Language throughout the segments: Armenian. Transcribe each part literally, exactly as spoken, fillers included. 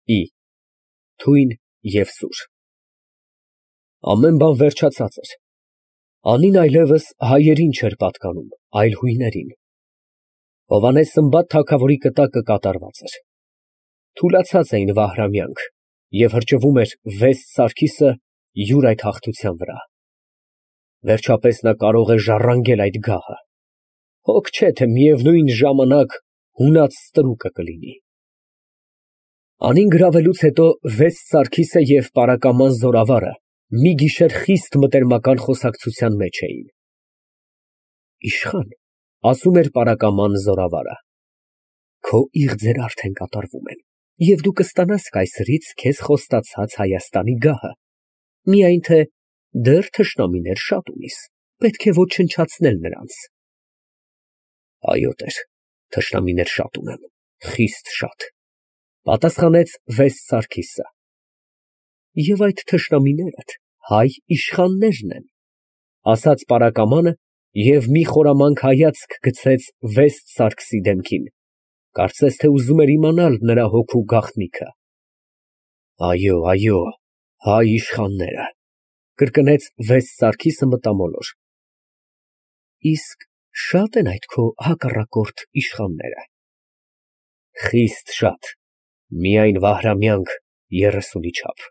Ի թույն և սուր։ Ամեն բան վերջացած էր, անին այլևս հայերին չէր պատկանում, այլ հույներին։ Հովհաննես Սմբատ թագավորի կտակը կատարված էր, թուլացած էին Վահրամյանք և հրճվում էր վեստ Սարգիսը յուր այդ հաղթության վրա։ Վերջապես նա կարող է ժառանգել այդ գահը, հոգ չէ, թե միևնույն ժամանակ հունած ստրուկը կլինի։ Անին գրավելուց հետո վեստ Սարգիսը և պարակաման զորավարը մի գիշեր խիստ մտերմական խոսակցության մեջ էին։ Իշխան, ասում էր պարակաման զորավարը, քո իղձերը արդեն կատարվում են, և դու կստանաս կայսրից քեզ խոստացած Հայաստանի գահը, միայն թե դեռ թշնամիներ շատ ունիս, պետք է ոչնչացնել նրանց։ Այո տեր, թշնամիներ շատ ունեմ, խիստ շատ, պատասխանեց վեստ Սարգիսը։ Եվ այդ թշնամիներդ հայ իշխաններն են, ասաց պարակամանը և մի խորամանկ հայացք գցեց վեստ Սարգսի դեմքին, կարծես թե ուզում էր իմանալ նրա հոգու գաղտնիքը։ Այո, այո, հայ իշխանները, կրկնեց վեստ Սարգիսը մտամոլոր։ Իսկ շա՞տ են այդ քո հակառակորդ իշխանները։ Խիստ շատ, միայն Վահրամյանք երեսունի չափ։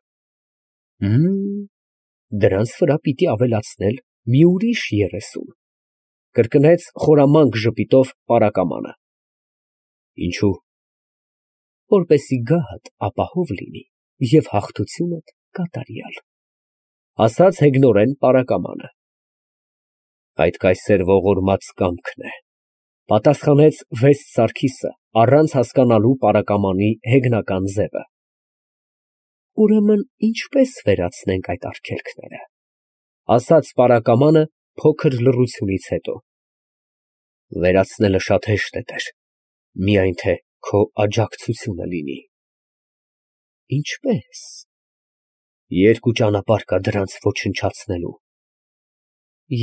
Հըմ, դրանց վրա պիտի ավելացնել մի ուրիշ երեսուն, կրկնեց խորամանկ ժպիտով պարակամանը։ Ինչո՞ւ։ Որպեսզի գահդ ապահով լինի և հաղթությունդ կատարյալ, ասաց հեգնորեն պարակամանը։ Այդ կայսեր ողորմած կամքն է, պատասխանեց վեստ Սարգիսը, առանց հասկանալու պարակամանի հեգնական ձևը։ Ուրեմն ինչպե՞ս վերացնենք այդ արգելքները, ասաց պարակամանը փոքր լռությունից հետո։ Վերացնելը շատ հեշտ է տեր, միայն թե քո աջակցությունը լինի։ Ինչպե՞ս։ Երկու ճանապարհ կա դրանց ոչնչացնելու։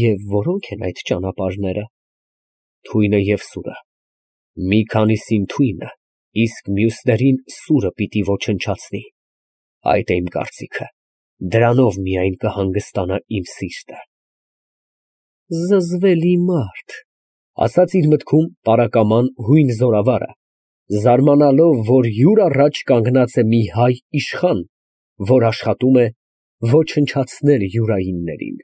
Եվ որո՞նք են այդ ճանապարհները։ Թույնը և սուրը։ Մի քանիսին թույնը, իսկ մյուսներին սուրը պիտի ոչնչացնի։ Այդ է իմ կարծիքը, դրանով միայն կհանգստանա իմ սիրտը։ Զզվելի մարդ, ասաց իր մտքում պարակաման հույն զորավարը, զարմանալով, որ յուր առաջ կանգնած է մի հայ իշխան, որ աշխատում է ոչնչացնել յուրայիններին։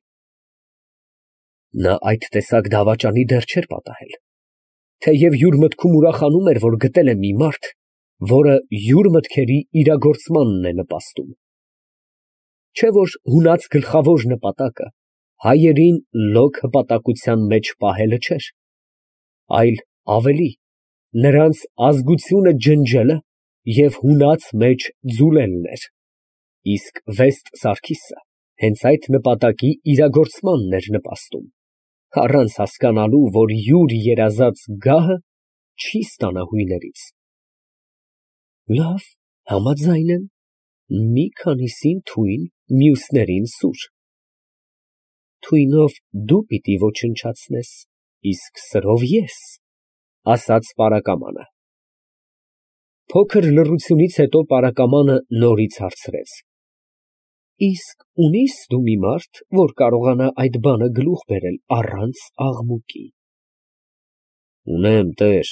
Նա այդ տեսակ դավաճանի դեռ չէր պատահել, թեև յուր մտքում ուրախանում էր, որ գտել է մի մարդ, որը յուր մտքերի իրագործմանն է նպաստում։ Չէ՞ որ հունած գլխավոր նպատակը հայերին լոկ հպատակության մեջ պահելը չէր, այլ ավելի, նրանց ազգությունը ջնջելը և հունած մեջ ձուլելն էր, իսկ վեստ Սարգիսը հենց այդ նպատակի իրագործմանն էր նպաստում, առանց հասկանալու, որ յուր երազած գահը չի ստանա հույներից։ Լավ, համաձայն եմ, մի քանիսին թույն, մյուսներին սուր։ Թույնով դու պիտի ոչնչացնես, իսկ սրով ես, ասաց պարակամանը։ Փոքր լռությունից հետո պարակամանը նորից հարցրեց. Իսկ ունի՞ս դու մի մարդ, որ կարողանա այդ բանը գլուխ բերել առանց աղմուկի։ Ունեմ, տեր,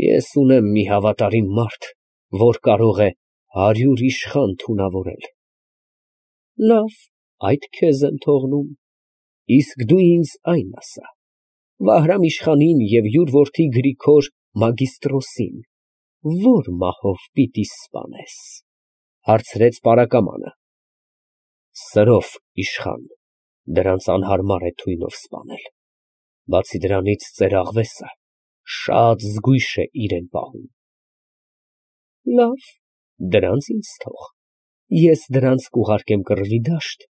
ես ունեմ մի հավատարիմ մարդ, որ կարող է հարյուր իշխան թունավորել։ Լավ, այդ քեզ եմ թողնում, իսկ դու ինձ այն ասա. Վահրամ իշխանին և յուր որդի Գրիգոր մագիստրոսին ո՞ր մահով պիտի սպանես, հարցրեց պարակամանը։ Սրով, իշխան, դրանց անհարմար է թույնով սպանել, բացի դրանից ծերաղվեսը շատ զգույշ է իրեն պահում։ Լավ, դրանց ինձ թող, ես դրանց կուղարկեմ կռվի դաշտ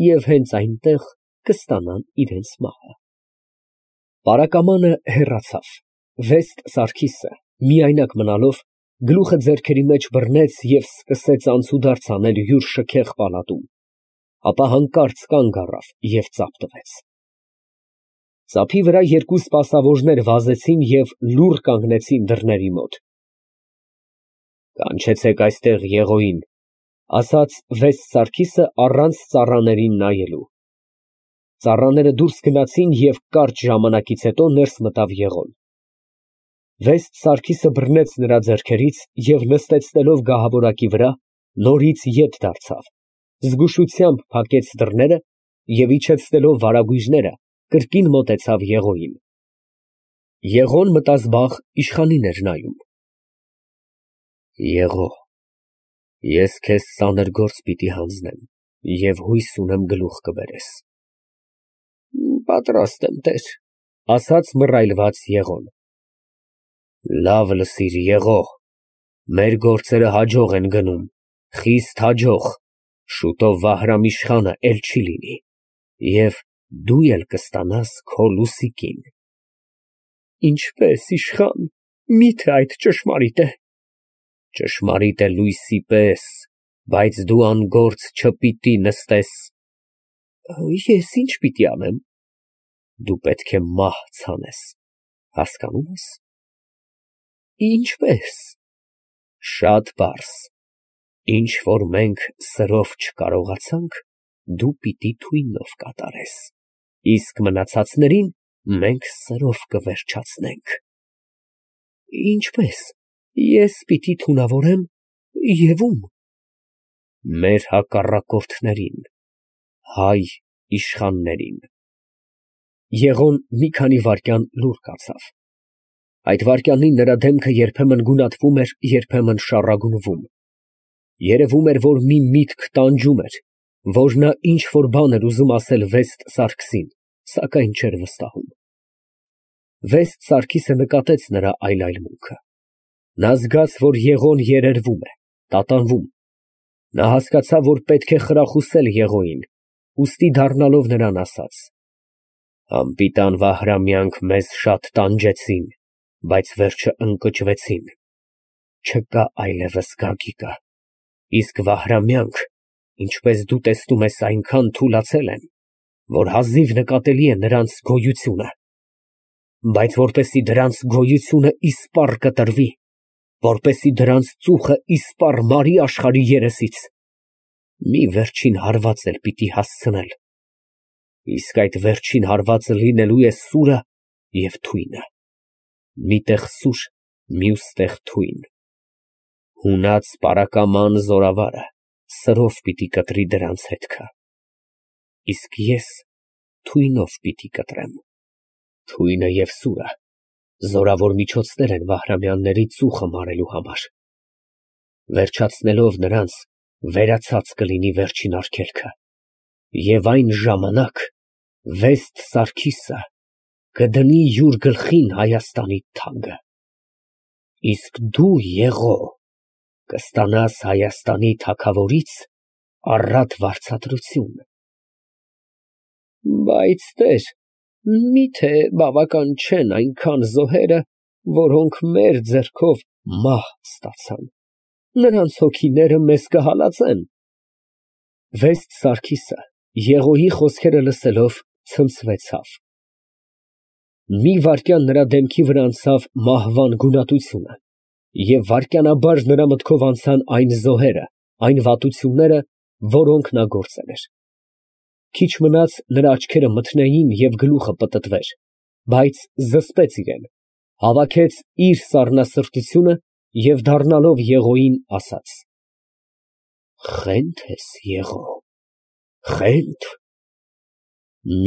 և հենց այնտեղ կստանան իրենց մահը։ Պարակամանը հեռացավ, վեստ Սարգիսը միայնակ մնալով գլուխը ձեռքերի մեջ բռնեց և սկսեց անցուդարձ անել յուր շքեղ պալատում, ապա հանկարծ կանգ առավ և ծափ տվեց։ Ծափի վրա երկու սպասավորներ վազեցին և լուռ կանգնեցին դռների մոտ։ Կանչեցեք այստեղ Եղոյին, ասաց վեստ Սարգիսը առանց ծառաներին նայելու։ Ծառաները դուրս գնացին և կարճ ժամանակից հետո ներս մտավ Եղոն։ Վեստ Սարգիսը բռնեց նրա ձեռքերից և նստեցնելով գահավորակի վրա, նորից ետ դարձավ, զգուշությամբ փակեց դռները և իջեցնելով վարագույրները, կրկին մոտեցավ Եղոյին։ Եղոն մտազբաղ իշխանին էր նայում։ Եղո, ես քեզ ծանր գործ պիտի հանձնեմ և հույս ունեմ գլուխ կբերես։ Պատրաստ եմ, տեր, ասաց մռայլված Եղոն։ Լավ լսիր, Եղո, մեր գործերը հաջող են գնում, խիստ հաջող, շուտով Վահրամ իշխանը էլ չի լինի, և դու էլ կստանաս քո լուսիկին։ Ինչպե՞ս, իշխան, մի՞թե այդ ճշմարիտ է։ Ճշմարիտ է լույսի պես, բայց դու անգործ չպիտի նստես։ Ես ի՞նչ պիտի անեմ։ Դու պետք է մահ ցանես, հասկանում ես։ Ինչպե՞ս։ Շատ պարզ, ինչ որ մենք սրով չկարողացանք, դու պիտի թույնով կատարես, իսկ մնացածներին մենք սրով կվերջացնենք։ Ինչպե՞ս, ես պիտի թունավորեմ և ո՞ւմ։ Մեր հակառակորդներին, հայ իշխաններին։ Եղոն մի քանի վայրկյան լուռ կացավ։ Այդ վայրկյանին նրա դեմքը երբեմն գունատվում էր, երբեմն շառագունվում։ Երևում էր, որ մի միտք տանջում էր, որ նա ինչ֊որ բան էր ուզում ասել վեստ Սարգսին, սակայն չէր վստահում։ Վեստ Սարգիսը նկատեց նրա այլայլմունքը։ Նա զգաց, որ Եղոն երերվում է, տատանվում։ Նա հասկացավ, որ պետք է խրախուսել Եղոյին, ուստի դառնալով նրան ասաց. Անպիտան Վահրամյանք մեզ շատ տանջեցին, բայց վերջը ընկճվեցին, չկա այլևս Գագիկը, իսկ Վահրամյանք, ինչպես դու տեսնում ես, այնքան թուլացել են, որ հազիվ նկատելի է նրանց գոյությունը, բայց որպեսզի դրանց գոյությունը իսպառ կտրվի, որպեսզի դրանց ծուխը իսպառ մարի աշխարհի երեսից, մի վերջին հարված էլ պիտի հասցնել, իսկ այդ վերջին հարվածը լինելու է սուրը և թույնը, մի տեղ սուր, մյուս տեղ թույն, հունած պարակաման զորավարը սրով պիտի կտրի դրանց հետքը, իսկ ես թույնով պիտի կտրեմ, թույնը և սուրը զորավոր միջոցներ են Վահրամյանների ծուխը մարելու համար, վերջացնելով նրանց, վերացած կլինի վերջին արգելքը, և այն ժամանակ վեստ Սարգիսը կդնի յուր գլխին Հայաստանի թագը, իսկ դու, Եղո, կստանաս Հայաստանի թագավորից առատ վարձատրություն։ Բայց, տեր, միթե բավական չեն այնքան զոհերը, որոնք մեր ձեռքով մահ ստացան, նրանց հոգիները մեզ կհալածեն։ Վեստ Սարգիսը Եղոյի խոսքերը լսելով ցնցվեցավ։ Մի վայրկյան նրա դեմքի վրա անցավ մահվան գունատությունը, և վայրկյանաբար նրա մտքով անցան այն զոհերը, այն վատությունները, որոնք նա գործել էր։ Քիչ մնաց նրա աչքերը մթնեին և գլուխը պտտվեր, բայց զսպեց իրեն, հավաքեց իր սառնասրտությունը և դառնալով Եղոյին ասաց. Խե՞նդ ես, Եղո, խե՞նդ։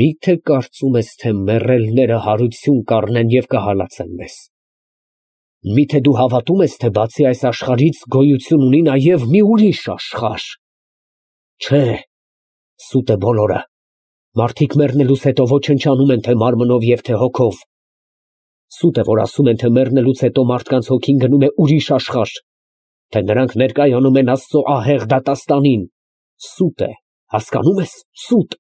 Մի՞թե կարծում ես, թե մեռելները հարություն կառնեն և կհալածեն մեզ։ Մի՞թե դու հավատում ես, թե բացի այս աշխարհից գոյություն ունի նաև մի ուրիշ աշխարհ։ Չէ, սուտ է բոլորը, մարդիկ մեռնելուց հետո ոչնչանում են թե մարմնով և թե հոգով։ Սուտ է, որ ասում են, թե մեռնելուց հետո մարդկանց հոգին գնում է ուրիշ աշխարհ, թե նրանք ներկայանում են Աստծո ահեղ դատաստանին։ Սուտ է, հասկանում ես, սուտ։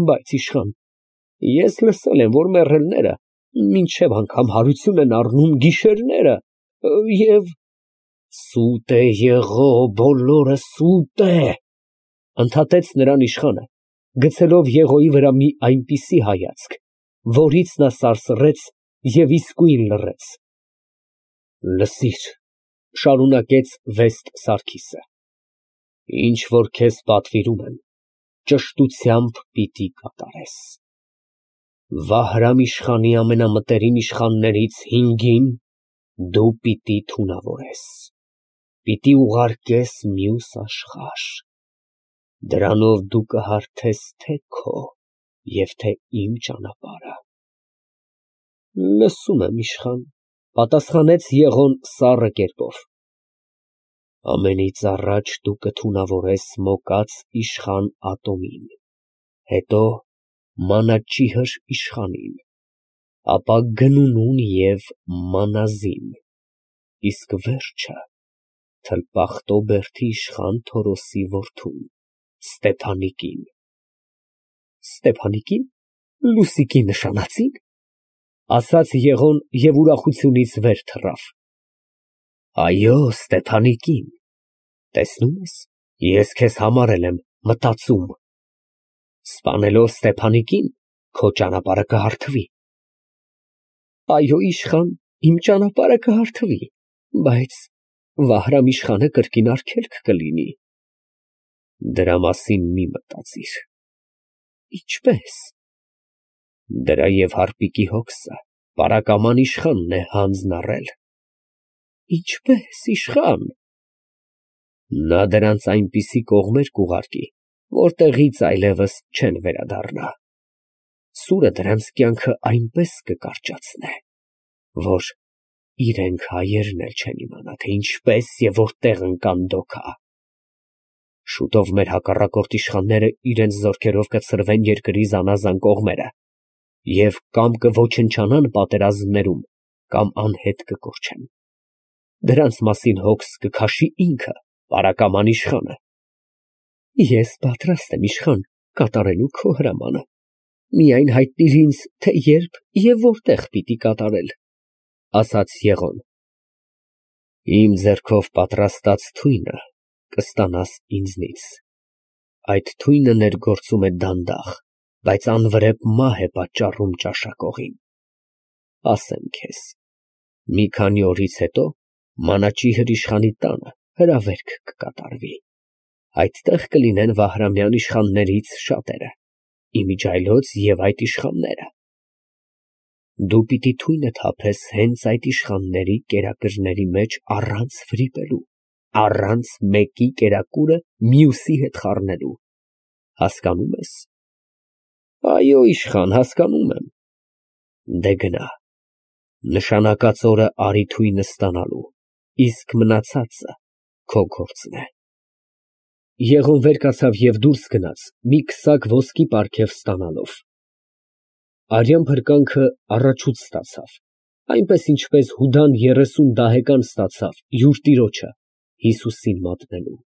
Բայց իշխան, ես լսել եմ, որ մեռելները մինչև անգամ հարություն են առնում գիշերները և… Սուտ է, Եղո, բոլորը սուտ է, ընդհատեց նրան իշխանը, գցելով Եղոյի վրա մի այնպիսի հայացք, որից նա սարսռեց և իսկույն լռեց։ Լսիր, Շարունակեց Վեստ Սարգիսը։ Ինչ որ քեզ պատվիրում եմ, ճշտությամբ պիտի կատարես։ Վահրամ իշխանի ամենամտերիմ իշխաններից հինգին դու պիտի թունավորես, պիտի ուղարկես մյուս աշխարհ, դրանով դու կհարթես թե քո և թե իմ ճանապարհը։ Լսում եմ, իշխան, պատասխանեց Եղոն սառը կերպով։ Ամենից առաջ դու կթունավորես Մոկած իշխան Ատոմին, հետո Մանաչիհր իշխանին, ապա Գնունուն և Մանազին, իսկ վերջը Թլպախտոբերդի իշխան Թորոսի որդուն Ստեփանիկին։ Ստեփանիկի՞ն, Լուսիկի նշանածի՞ն, ասաց Եղոն և ուրախությունից վեր թռավ։ Այո, Ստեփանիկին, տեսնում ես, ես քեզ համարել եմ մտածում, սպանելով Ստեփանիկին, քո ճանապարհը կհարթվի։ Այո, իշխան, իմ ճանապարհը կհարթվի, բայց Վահրամ իշխանը կրկին արգելք կլինի։ Դրա մասին մի մտածիր։ Ինչպե՞ս։ Դրա և հարպիկի հոգսը պարակաման իշխանն է հանձն առել։ Ինչպե՞ս, իշխան։ Նա դրանց այնպիսի կողմեր կուղարկի, որտեղից այլևս չեն վերադառնա։ Սուրը դրանց կյանքը այնպես կկարճացնե, որ իրենք հայերն էլ չեն իմանա, թե ինչպես և որտեղ ընկան դոքա։ Շուտով մեր հակառակորդ իշխանները իրենց զորքերով կցրվեն երկրի զանազան կողմերը և կամ կոչնչանան պատերազմներում, կամ անհետ կկորչեն։ Դրանց մասին հոգս կքաշի ինքը, պարակաման իշխանը։ Ես պատրաստ եմ, իշխան, կատարելու քո հրամանը, միայն հայտնիր ինձ, թե երբ և որտեղ պիտի կատարել, ասաց Եղոն։ Իմ ձեռքով պատրաստած թույնը կստանաս ինձնից, այդ թույնը ներգործում է դանդաղ, բայց անվրեպ մահ է պատճառում ճաշակողին։ Ասեմ քեզ, մի քանի օրից հետո Մանաչիհր իշխանի տանը հրավերք կկատարվի, այդտեղ կլինեն Վահրամյան իշխաններից շատերը, իմիջիայլոց և այդ իշխանները։ Դու պիտի թույնը թափես հենց այդ իշխանների կերակուրների մեջ առանց վրիպելու, առանց մեկի կերակուրը մյուսի հետ խառնելու, հասկանո՞ւմ ես։ Այո, իշխան, հասկանում եմ։ Դե գնա, նշանակած օրը արի թույնը ստանալու, իսկ մնացածը քո գործն է։ Եղոն վեր կացավ և դուրս գնաց, մի քսակ ոսկի պարգև ստանալով։ Արյան փրկանքը առաջուց ստացավ, այնպես ինչպես Հուդան երեսուն դահեկան ստացավ յուր տիրոջը Հիսուսին մատնելու։